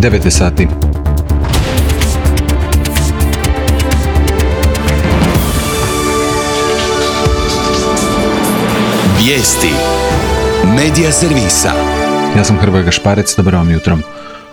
9 sati. Vijesti Medija servisa. Ja sam Hrvoje Gašparec, dobro vam jutro.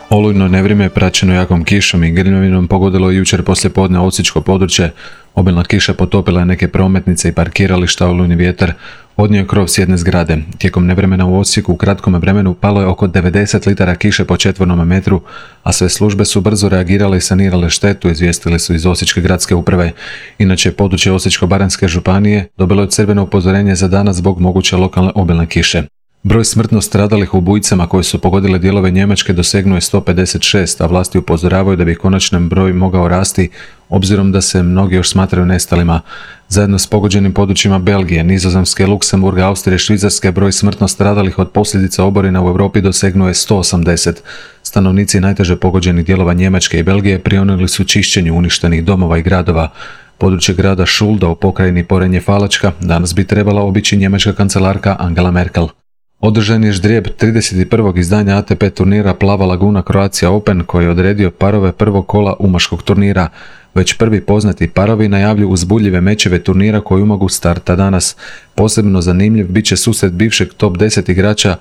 Olujno nevrijeme praćeno jakom kišom i grmljavinom pogodilo je jučer poslijepodne osječko područje. Obilna kiša potopila je neke prometnice i parkirališta, olujni vjetar odnio je krov s jedne zgrade. Tijekom nevremena u Osijeku u kratkom vremenu palo je oko 90 litara kiše po četvornom metru, a sve službe su brzo reagirale i sanirale štetu, izvijestili su iz Osječke gradske uprave. Inače, područje Osječko-baranjske županije dobilo je crveno upozorenje za danas zbog moguće lokalne obilne kiše. Broj smrtno stradalih u bujicama koje su pogodile dijelove Njemačke dosegnuo je 156, a vlasti upozoravaju da bi konačan broj mogao rasti, obzirom da se mnogi još smatraju nestalima. Zajedno s pogođenim područjima Belgije, Nizozemske, Luksemburga, Austrije i Švicarske broj smrtno stradalih od posljedica oborina u Europi dosegnuo je 180. Stanovnici najteže pogođenih dijelova Njemačke i Belgije prionuli su čišćenju uništenih domova i gradova. Područje grada Šulda u pokrajini Porenje-Falačka danas bi trebala obići njemačka kancelarka Angela Merkel. Održan je ždrijeb 31. izdanja ATP turnira Plava Laguna Croatia Open koji je odredio parove prvog kola umaškog turnira. Već prvi poznati parovi najavljuju uzbudljive mečeve turnira koji mogu starta danas. Posebno zanimljiv bit će susret bivšeg top 10 igrača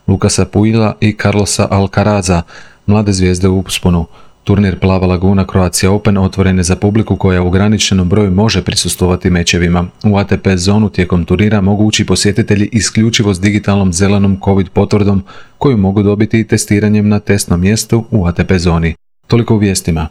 Lukasa Puila i Carlosa Alcaraza, mlade zvijezde u usponu. Turnir Plava Laguna Croatia Open otvoren je za publiku koja u ograničenom broju može prisustvovati mečevima. U ATP zonu tijekom turnira mogu ući posjetitelji isključivo s digitalnom zelenom COVID potvrdom koju mogu dobiti i testiranjem na testnom mjestu u ATP zoni. Toliko u vijestima.